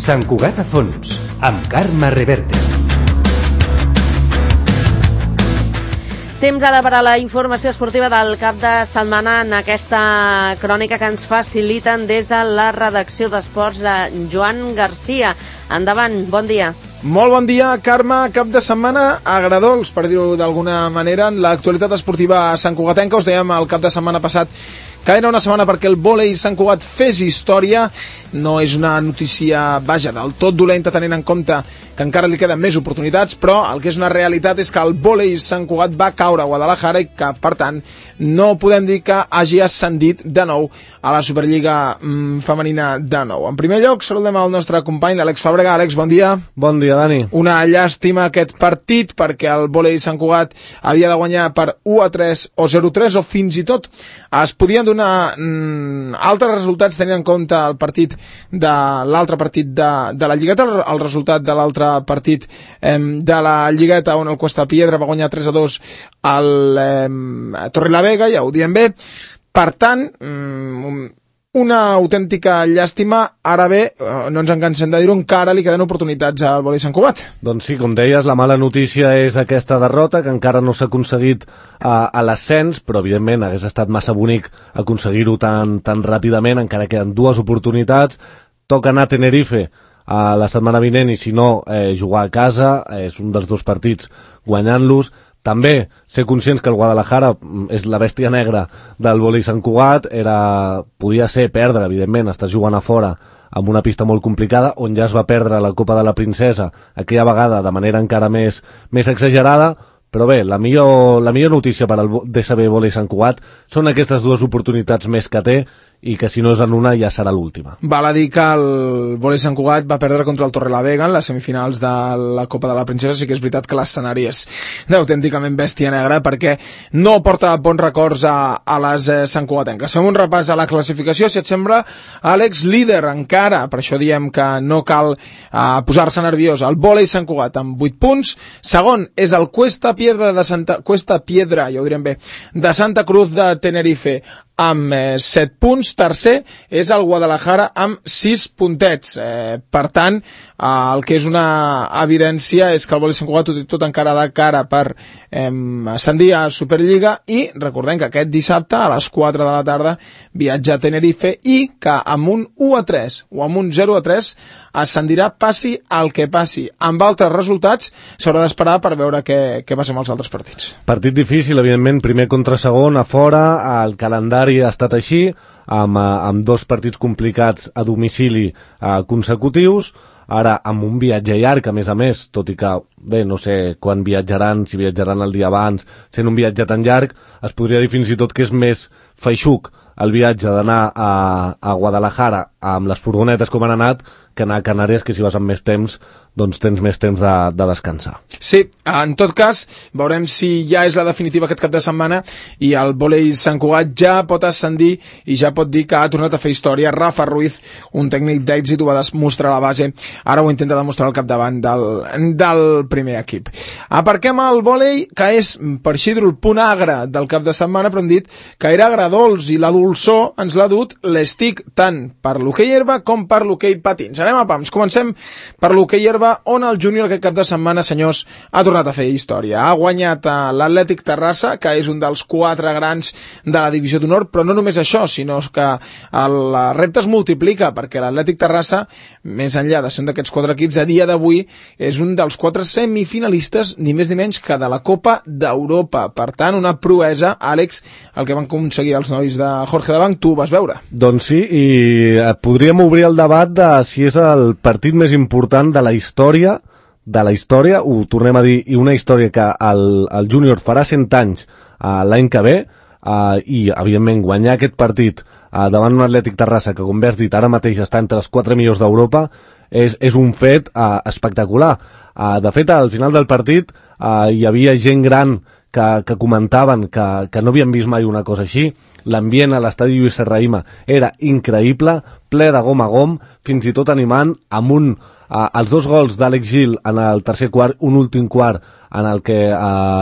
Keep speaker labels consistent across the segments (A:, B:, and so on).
A: Sant Cugat a fons, amb Carme Reverte.
B: Temps ara per a la informació esportiva del cap de setmana en aquesta crònica que ens faciliten des de la redacció d'Esports de Joan Garcia. Endavant, bon dia.
C: Molt bon dia, Carme. Cap de setmana agradols, per dir-ho d'alguna manera, en l'actualitat esportiva santcugatenca. Us dèiem el cap de setmana passat que era una setmana perquè el vòlei Sant Cugat fes història. No és una notícia, vaja, del tot dolenta, tenint en compte que encara li queden més oportunitats, però el que és una realitat és que el vòlei Sant Cugat va caure a Guadalajara i que, per tant, no podem dir que hagi ascendit de nou a la Superliga femenina de nou. En primer lloc, saludem al nostre company, l'Àlex Fàbrega. Àlex, bon dia.
D: Bon dia, Dani.
C: Una llàstima aquest partit, perquè el vòlei Sant Cugat havia de guanyar per 1-3 o 0-3, o fins i tot es podien donar altres resultats tenint en compte el partit de l'altre partit de la Lligueta, el resultat de l'altre partit de la Lligueta, on el Cuesta Piedra va guanyar 3-2 al Torrelavega, ja ho diem bé. Per tant, una autèntica llàstima. Ara bé, no ens en cansem de dir-ho, encara li queden oportunitats al vòlei Sant Cugat.
D: Doncs sí, com deies, la mala notícia és aquesta derrota, que encara no s'ha aconseguit a l'ascens, però evidentment hagués estat massa bonic aconseguir-ho tan ràpidament. Encara queden dues oportunitats. Toca anar a Tenerife la setmana vinent i, si no, jugar a casa. És un dels dos partits guanyant-los. També ser conscients que el Guadalajara és la bèstia negra del vòlei Sant Cugat. Podia ser perdre, evidentment, estàs jugant a fora amb una pista molt complicada, on ja es va perdre la Copa de la Princesa aquella vegada de manera encara més exagerada. Però bé, la millor notícia per al DSB Vòlei Sant Cugat són aquestes dues oportunitats més que té, i que si no és en una ja serà l'última.
C: Val a dir que el vòlei Sant Cugat va perdre contra el Torrelavega en les semifinals de la Copa de la Princesa. Sí que és veritat que l'escenari és d'autènticament bèstia negra, perquè no porta bons records a les santcugatenques. Fem un repàs a la classificació, si et sembla, Àlex. Líder encara, per això diem que no cal posar-se nerviós, el vòlei Sant Cugat amb 8 punts. Segon és el Cuesta Piedra, ja ho direm bé, de Santa Cruz de Tenerife, amb 7 punts. Tercer és el Guadalajara amb 6 puntets. Per tant, el que és una evidència és que el vòlei Sant Cugat tot encara de cara per ascendir a Superliga, i recordem que aquest dissabte a les 4 de la tarda viatja a Tenerife, i que amb un 1-3 o amb un 0-3 ascendirà, passi el que passi. Amb altres resultats s'haurà d'esperar per veure què passa amb els altres partits.
D: Partit difícil, evidentment, primer contra segon a fora. El calendari ha estat així, amb dos partits complicats a domicili consecutius. Ara amb un viatge llarg, a més, tot i que, bé, no sé quan viatjaran, si viatjaran el dia abans. Sent un viatge tan llarg, es podria dir fins i tot que és més feixuc el viatge d'anar a Guadalajara amb les furgonetes com han anat, que anar a Canàries, que si vas amb més temps, doncs tens més temps de descansar.
C: Sí, en tot cas, veurem si ja és la definitiva aquest cap de setmana i el vòlei Sant Cugat ja pot ascendir i ja pot dir que ha tornat a fer història. Rafa Ruiz, un tècnic d'èxit, ho va demostrar a la base, ara ho intenta demostrar al capdavant del primer equip. Aparquem el vòlei, que és, per així dir-ho, el punt agre del cap de setmana, però hem dit que era agradols, i la dolçor ens l'ha dut l'Estic, tant per l'hoquei herba com per l'hoquei patins. Anem a pams. Comencem per l'hoquei herba, on el júnior aquest cap de setmana, senyors, ha tornat a fer història. Ha guanyat l'Atlètic Terrassa, que és un dels 4 grans de la divisió d'honor, però no només això, sinó que el repte es multiplica, perquè l'Atlètic Terrassa, més enllà de ser un d'aquests 4 equips, a dia d'avui és un dels 4 semifinalistes, ni més ni menys que de la Copa d'Europa. Per tant, una proesa, Àlex, el que van aconseguir els nois de Jorge Davant. Tu ho vas veure?
D: Doncs sí, i podríem obrir el debat de si és el partit més important de la història, ho tornem a dir, i una història que el júnior farà 100 anys l'any que ve, i evidentment guanyar aquest partit davant un Atlètic Terrassa que, com bé has dit, ara mateix està entre els 4 millors d'Europa, és un fet espectacular. De fet, al final del partit hi havia gent gran que comentaven que no havien vist mai una cosa així. L'ambient a l'estadi Lluís Serrahima era increïble, ple de gom a gom, fins i tot animant, amb els 2 gols d'Àlex Gil en el tercer quart, un últim quart en el que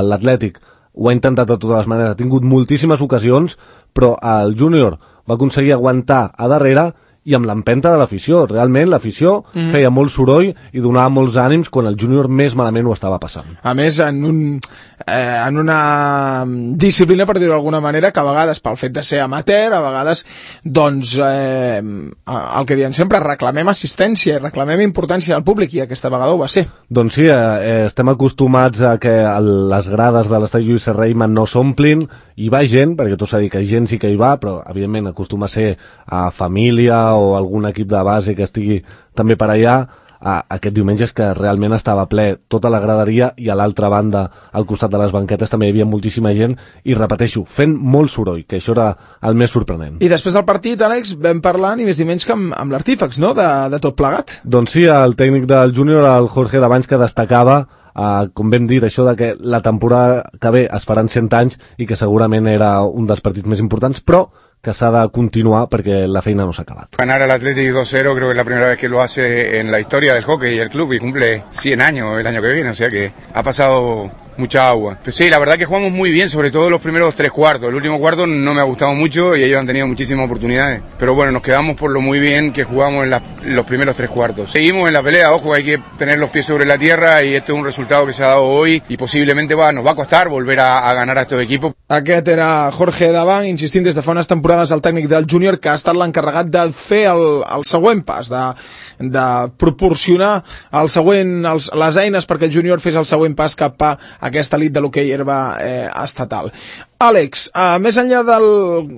D: l'Atlètic ho ha intentat de totes les maneres, ha tingut moltíssimes ocasions, però el júnior va aconseguir aguantar a darrere i amb l'empenta de l'afició. Realment l'afició feia molt soroll i donava molts ànims quan el júnior més malament ho estava passant.
C: A més, en una disciplina, per dir-ho d'alguna manera, que a vegades, pel fet de ser amateur, a vegades, doncs, el que diem sempre, reclamem assistència, reclamem importància del públic, i aquesta vegada ho va ser.
D: Doncs sí, estem acostumats a que les grades de l'estadi Lluís Serrahima no s'omplin, hi va gent, perquè tot s'ha dit que gent sí que hi va, però evidentment acostuma a ser a família o algun equip de base que estigui també per allà. Aquest diumenge és que realment estava ple tota la graderia, i a l'altra banda, al costat de les banquetes, també hi havia moltíssima gent, i repeteixo, fent molt soroll, que això era el més sorprenent.
C: I després del partit, Àlex, vam parlar ni més ni menys que amb l'artífex, no?, de tot plegat.
D: Doncs sí, el tècnic del júnior, el Jorge Davanys, que destacava, com vam dir, això de que la temporada que ve es faran 100 anys i que segurament era un dels partits més importants, però que s'ha de continuar perquè la feina no s'ha acabat.
E: Ganar al Athletic 2-0 creo que es la primera vez que lo hace en la historia del hockey y el club, y cumple 100 años el año que viene, o sea que ha pasado mucha agua. Pero sí, la verdad que jugamos muy bien, sobre todo los primeros 3 cuartos. El último cuarto no me ha gustado mucho y ellos han tenido muchísimas oportunidades. Pero bueno, nos quedamos por lo muy bien que jugamos en los primeros 3 cuartos. Seguimos en la pelea, ojo, hay que tener los pies sobre la tierra, y este es un resultado que se ha dado hoy y posiblemente nos va a costar volver a ganar a estos equipos.
C: Aquest era Jorge Davant, insistint des de fa unes temporades el tècnic del júnior, que ha estat l'encarregat de fer el següent pas, de proporcionar les eines perquè el júnior fes el següent pas cap a aquesta elit de l'hoquei herba estatal. Àlex, més enllà de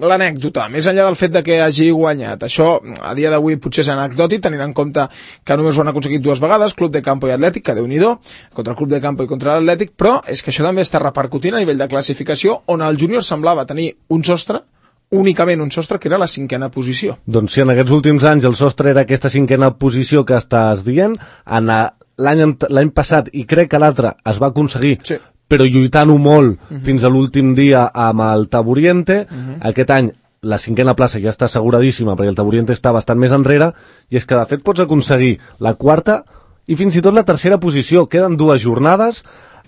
C: l'anècdota, més enllà del fet de que hagi guanyat, això a dia d'avui potser és anecdòtic, tenint en compte que només ho han aconseguit 2 vegades, Club de Campo i Atlètic, que Déu-n'hi-do, contra el Club de Campo i contra l'Atlètic, però és que això també està repercutint a nivell de classificació, on el júnior semblava tenir un sostre, únicament un sostre, que era la 5a posició.
D: Doncs sí, en aquests últims anys el sostre era aquesta 5a posició que estàs dient. L'any passat, i crec que l'altre, es va aconseguir, sí, però lluitant-ho molt fins a l'últim dia amb el Taburiente. Aquest any la 5a plaça ja està asseguradíssima perquè el Taburiente està bastant més enrere, i és que de fet pots aconseguir la 4a i fins i tot la 3a posició. Queden 2 jornades.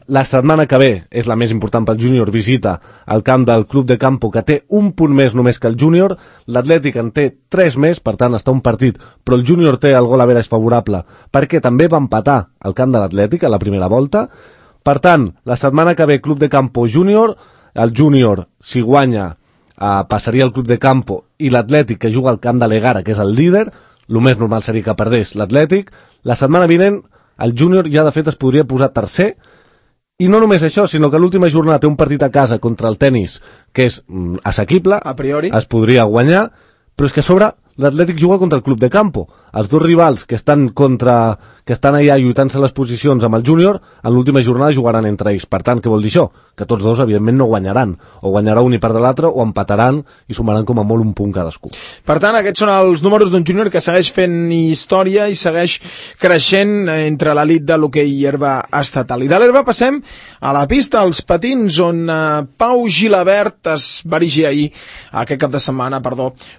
D: La setmana que ve és la més important pel júnior, visita el camp del Club de Campo, que té un punt més només que el júnior. L'Atlètic en té 3 més, per tant està un partit, però el júnior té el gol average favorable perquè també va empatar al camp de l'Atlètic a la primera volta. Per tant, la setmana que ve Club de Campo júnior, el júnior, si guanya, passaria al Club de Campo, i l'Atlètic, que juga al camp de l'Egara, que és el líder, el més normal seria que perdés l'Atlètic. La setmana vinent el júnior ja de fet es podria posar tercer. I no només això, sinó que l'última jornada té un partit a casa contra el Tenis que és assequible,
C: a priori
D: es podria guanyar, però és que a sobre l'Atlètic juga contra el Club de Campo. Els 2 rivals que estan allà lluitant-se les posicions amb el júnior, en l'última jornada jugaran entre ells. Per tant, què vol dir això? Que tots 2, evidentment, no guanyaran. O guanyarà un i perdrà l'altre, o empataran i sumaran com a molt un punt cadascú.
C: Per tant, aquests són els números d'un júnior que segueix fent història i segueix creixent entre l'elit de l'hoquei herba estatal. I de l'herba passem a la pista, als patins, on Pau Gilabert es va erigir aquest cap de setmana,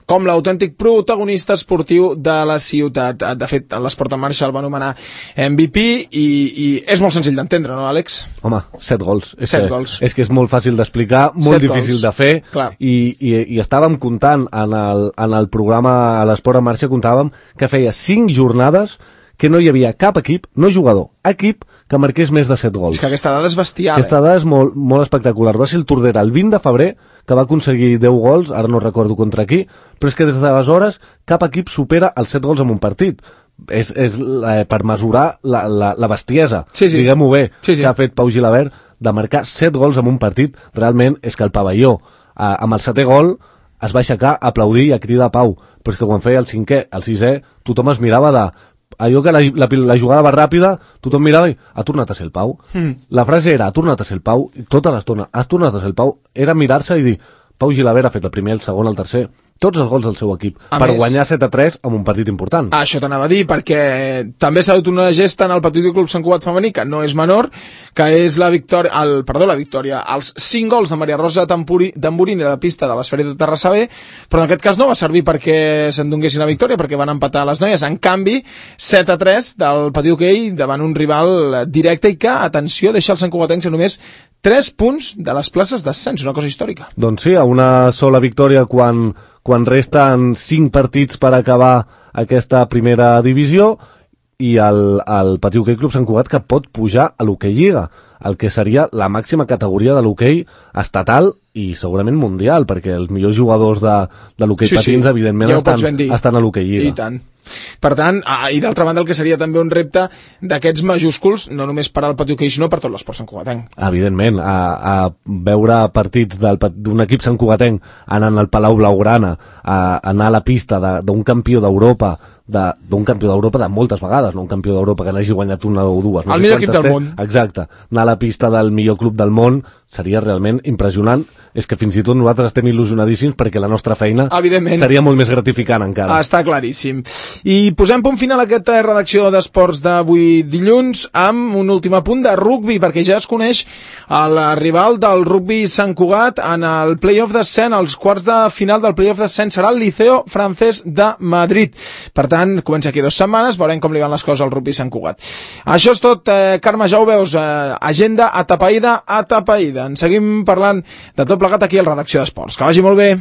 C: com l'autèntic protagonista esportiu de la ciutat. De fet, l'Esport en Marxa el va anomenar MVP i és molt senzill d'entendre, no, Àlex?
D: Home, 7 gols.
C: 7 gols.
D: És que és molt fàcil d'explicar, molt difícil de fer. I estàvem comptant en el programa a l'Esport en Marxa, comptàvem que feia 5 jornades que no hi havia cap equip, no jugador, equip, que marqués més de 7 gols.
C: És que aquesta dada és bestial.
D: Aquesta dada és molt, molt espectacular. Va ser el Tordera el 20 de febrer, que va aconseguir 10 gols, ara no recordo contra qui, però és que des d'aleshores cap equip supera els 7 gols en un partit. És per mesurar la bestiesa, diguem-ho bé, que ha fet Pau Gilabert, de marcar 7 gols en un partit. Realment és que el pavelló, amb el 7è gol, es va aixecar a aplaudir i a cridar Pau, però és que quan feia el 5è, el 6è, tothom es mirava allò que la jugada va ràpida, tothom mirava i ha tornat a ser el Pau. La frase era, ha tornat a ser el Pau, i tota l'estona, ha tornat a ser el Pau, era mirar-se i dir, Pau Gilabert ha fet el primer, el segon, el tercer, tots els gols del seu equip, per guanyar 7-3 en un partit important.
C: Això t'anava a dir, perquè també s'ha dut una gesta en el Petit Club Sant Cugat femení, que no és menor, que és la victòria, els 5 gols de Maria Rosa Tamburini a la pista de l'Esfera de Terrassa B, però en aquest cas no va servir perquè se'n donguessin la victòria, perquè van empatar les noies. En canvi, 7-3 del Petit Hoquei davant un rival directe i que, atenció, deixa els santcugatencs a només 3 punts de les places d'ascens, una cosa històrica.
D: Doncs sí, a una sola victòria quan resten 5 partits per acabar aquesta primera divisió, i el Patí Hoquei Club Sant Cugat, que pot pujar a l'Hoquei Lliga, el que seria la màxima categoria de l'hoquei estatal i segurament mundial, perquè els millors jugadors de l'hoquei patins, evidentment, estan a l'Hoquei Lliga.
C: I tant. Per tant, i d'altra banda, el que seria també un repte d'aquests majúsculs, no només per al Patí Hoquei, sinó per tot l'esport santcugatenc.
D: Evidentment, a veure partits d'un equip santcugatenc anant al Palau Blaugrana, a anar a la pista d'un campió d'Europa, d'un campió d'Europa de moltes vegades, no un campió d'Europa que n'hagi guanyat una o dues.
C: El millor equip del món.
D: Exacte. Anar a la pista del millor club del món seria realment impressionant. És que fins i tot nosaltres estem il·lusionadíssims perquè la nostra feina seria molt més gratificant encara.
C: Està claríssim. I posem punt final a aquesta redacció d'esports d'avui dilluns amb un últim apunt de rugbi, perquè ja es coneix el rival del rugbi Sant Cugat en el play-off d'ascens. Els quarts de final del play-off d'ascens serà el Liceo Francés de Madrid. Per tant, comença aquí 2 setmanes, veurem com li van les coses al rugbi Sant Cugat. Això és tot, Carme, ja ho veus, agenda atapeïda. En seguim parlant de tot plegat aquí a la redacció d'esports. Que vagi molt bé.